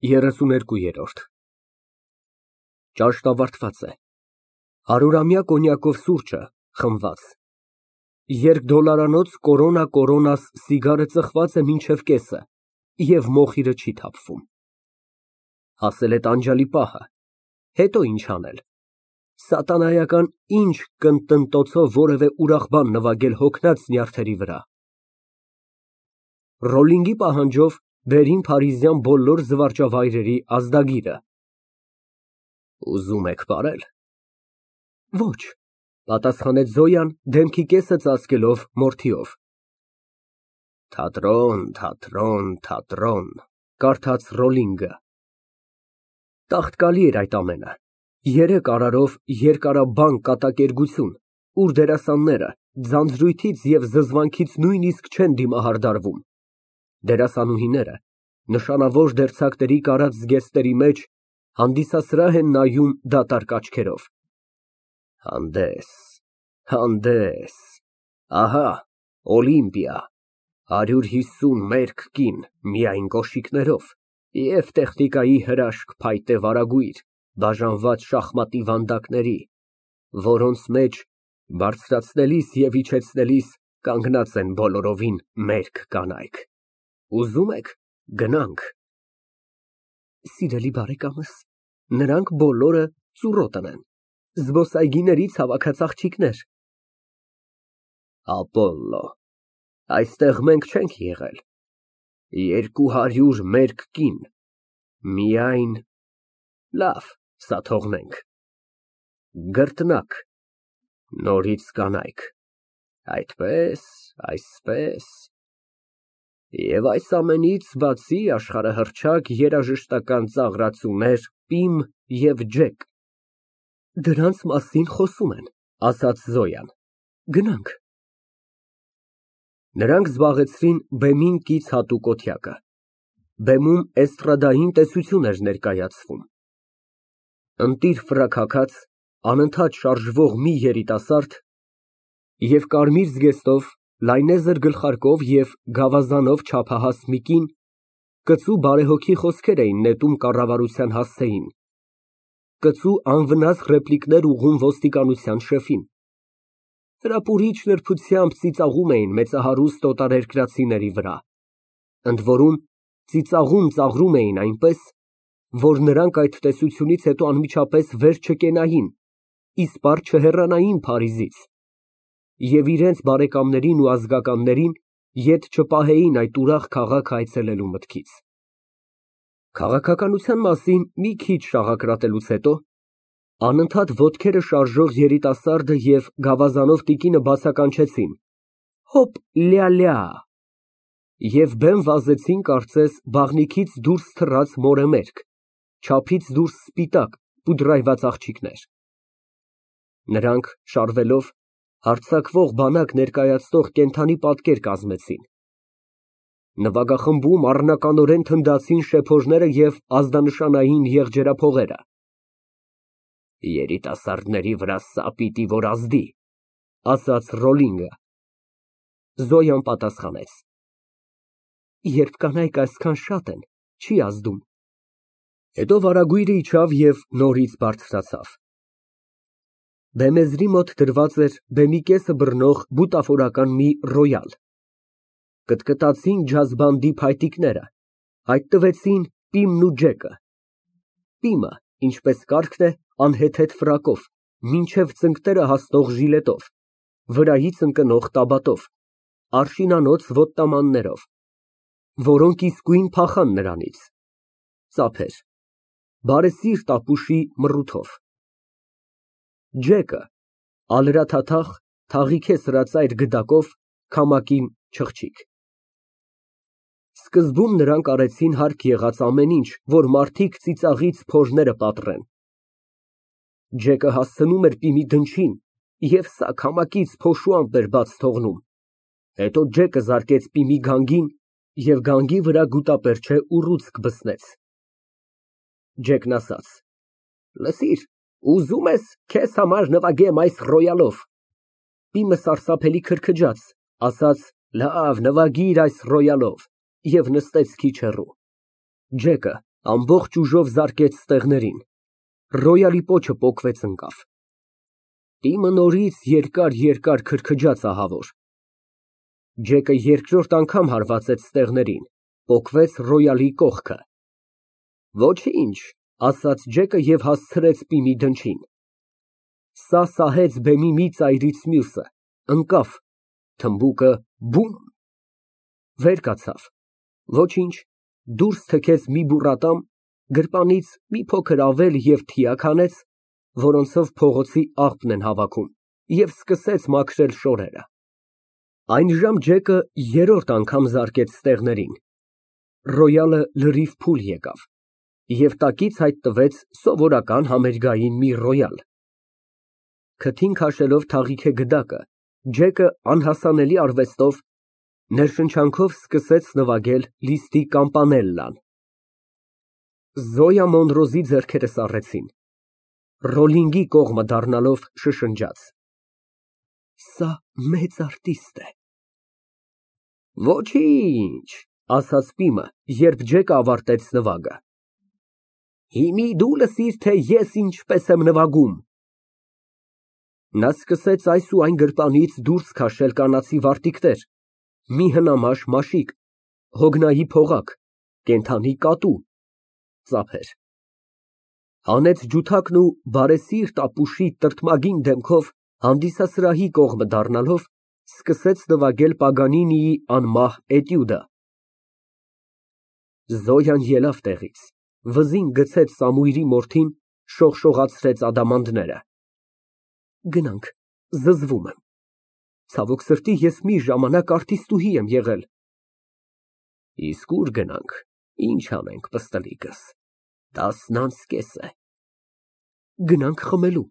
32։ Ճաշն ավարտված է։ 100-ամյա կոնյակով սուրճը խմված։ Երկդոլարանոց Կորոնա սիգարը ծխված է մինչև կեսը և մոխիրը չի թափվում։ Հասել է տանջալի պահը, հետո ինչ անել։ Սատանայական ինչ կնտնտոցով որևէ ուրախ բան նվագել հոգնած նյարդերի վրա։ Ռոլլինգի պահանջով վերին փարիզյան բոլոր զվարճավայրերի ազդագիրը։ Ուզում եք պարել։ Ոչ, պատասխանեց Զոյան, դեմքի կեսը ծածկելով մորթիով։ Թատրոն, թատրոն, թատրոն, կարդաց Ռոլլինգը։ Տաղտկալի էր այդ ամենը, 3 արարով երկարաբան կատակերգություն, ուր դերասանները ձանձրույթից և զզվանքից նույնիսկ չեն դիմահարդարվում։ Դերասանուհիները նշանավոր դերձակների կարած զգեստների մեջ հանդիսասրահ են նայում դատարկ աչքերով։ Հանդես, հանդես, ահա, Օլիմպիա, 150 մերկ կին միայն կոշիկներով և տեխնիկայի հրաշք փայտե վարագույր, բաժանված շախմատի վանդակների, որոնց մեջ բարձրացնելիս և իջեցնելիս կանգնած են բոլորովին մերկ կանայք։ Ուզում եք, գնանք։ Սիրելի բարեկամս, նրանք բոլորը ծուռոտն են, զբոսայգիներից հավաքած աղջիկներ։ Ապոլլո, այստեղ մենք չենք եղել, 200 մերկ կին, միայն, լավ, սա թողնենք, գռտնակ, նորից կանայք, այդպես, այսպես, և այս ամենից բացի աշխարհահռչակ երաժշտական ծաղրածուներ Պիմ և Ջեք։ Դրանց մասին խոսում են, ասաց Զոյան, գնանք։ Նրանք զբաղեցրին բեմին կից հատուկ օթյակը։ Բեմում էստրադային տեսություն էր ներկայացվում։ Ընտիր ֆրակ հագած, անընդհատ շարժվող մի երիտասարդ և կարմիր զգեստով, լայնեզր գլխարկով և գավազանով չափահաս մի կին կծու բարեհոգի խոսքեր էին նետում կառավարության հասցեին, կծու անվնաս ռեպլիկներ ուղղում ոստիկանության շեֆին, հրապուրիչ նրբությամբ ծիծաղում էին մեծահարուստ օտարերկրացիների վրա, ընդորում ծիծաղում էին այնպես, որ նրանք այդ տեսությունից հետո անմիջապես վեր չկենային, իսպառ չհեռանային Փարիզից և իրենց բարեկամներին ու ազգականներին ետ չպահեին այդ ուրախ քաղաք այցելելու մտքից։ Քաղաքականության մասին մի քիչ շաղակրատելուց հետո անընդհատ ոտքերը շարժող երիտասարդը և գավազանով տիկինը բացականչեցին. հոպ, լյալյա, և բեմ վազեցին կարծես բաղնիքից դուրս թռած մորեմերկ, չափից դուրս սպիտակ, պուդրայված աղջիկներ։ Նրանք, շարվելով, հարձակվող բանակ ներկայացնող կենդանի պատկեր կազմեցին։ Նվագախմբում առնականորեն թնդացին շեփորները և ազդանշանային եղջերափողերը։ Երիտասարդների վրա սա պիտի որ ազդի, ասաց Ռոլլինգը։ Զոյան պատասխանեց. Երբ կանայք այսքան շատ են, չի ազդում։ Հետո վարագույրը իջավ և նորից բարձրացավ։ Բեմեզրի մոտ դրված էր բեմի կեսը բռնող բուտաֆորական մի ռոյալ։ Կտկտացին ջազ բանդի փայտիկները, հայտնվեցին Պիմն ու Ջեկը։ Պիմը, ինչպես կարգն է, անհեթեթ ֆրակով, մինչև ծնկները հասնող ժիլետով, վրայից ընկնող տաբատով, արշինանոց ոտնամաններով, որոնք իսկույն փախան նրանից, ծափեր, բարեսիրտ ապուշի մռութով։ Ջեկը, ալրաթաթախ, թաղիքե սրածայր գդակով, քամակի չղջիկ։ Սկզբում նրանք արեցին հարկ եղած ամեն ինչ, որ մարդիկ ծիծաղից փորները պատռեն։ Ջեկը հասցնում էր Պիմի դնչին, և սա քամակից փոշու ամպ էր բաց թողնում։ Հետո Ջեկը զարկեց Պիմի գանգին և գանգի վրա գուտապերճե ուռուցք բսնեց։ Ջեկն ասաց. Լսիր, ուզում ես քեզ համար նվագեմ այս ռոյալով։ Պիմը սարսափելի քրքջաց, ասաց. Լավ, նվագիր այս ռոյալով և նստեց քիչ հեռու։ Ջեկը, Ամբողջ ուժով զարկեց ստեղներին։ Ռոյալի պոչը պոկվեց ընկավ։ Տիմը նորից երկար քրքջաց ահավոր։ Ջեկը երկրորդ անգամ հարվածեց ստեղներին, պոկվեց Ռոյալի կողքը։ Ոչինչ, ասաց Ջեկը և հասցրեց պիմի դնչին։ Սա սահեց բեմի մի ծայրից մյուսը, ընկավ, թմբուկը բում, վեր կացավ, ոչինչ, դուրս թքեց մի բուռատամ, գրպանից մի փոքր ավել և թիակ հանեց, որոնցով փողոցի աղբն են հավաքում, և սկսեց մաքրել շորերը։ Այնժամ Ջեկը երրորդ անգամ զարկեց ստեղներին։ Ռոյալը լրիվ փուլ եկավ և տակից հայտնվեց սովորական համերգային մի ռոյալ։ Քթին քաշելով թաղիք է գդակը, Ջեկը անհասանելի արվեստով, ներշնչանքով սկսեց նվագել Լիզտի Կամպանելլան։ Զոյա Մոնրոզի ձեռքերը սառեցին։ Ռոլլինգի կողմը դառնալով շշնջաց. Սա մեծ արտիստ է։ Ոչինչ, ասաց Պիմը, երբ Ջեկը ավարտեց նվագը։ Հիմի դու լսիր, թե ես ինչպես եմ նվագում։ Նա սկսեց այս ու այն գրպանից դուրս քաշել կանացի վարտիքներ, մի հնամաշ մաշիկ, հոգնայի փողակ, կենդանի կատու, ծափեր։ Հանեց ջութակն ու բարեսիրտ ապուշի տրտմագին դեմքով հանդիսասրահի կողմը դառնալով, սկսեց նվագել Պագանինիի անմահ էտյուդը։ Զոյան ելավ տեղից, վզին գցեց Սամուիլի մորթին, շողշողացրեց ադամանդները։ Գնանք, զզվում եմ։ Ցավոք սրտի, ես մի ժամանակ արտիստուհի եմ եղել։ Իսկ ուր գնանք, ինչ անենք, պստլիկս, 10:30 է։ Գնանք խմելու։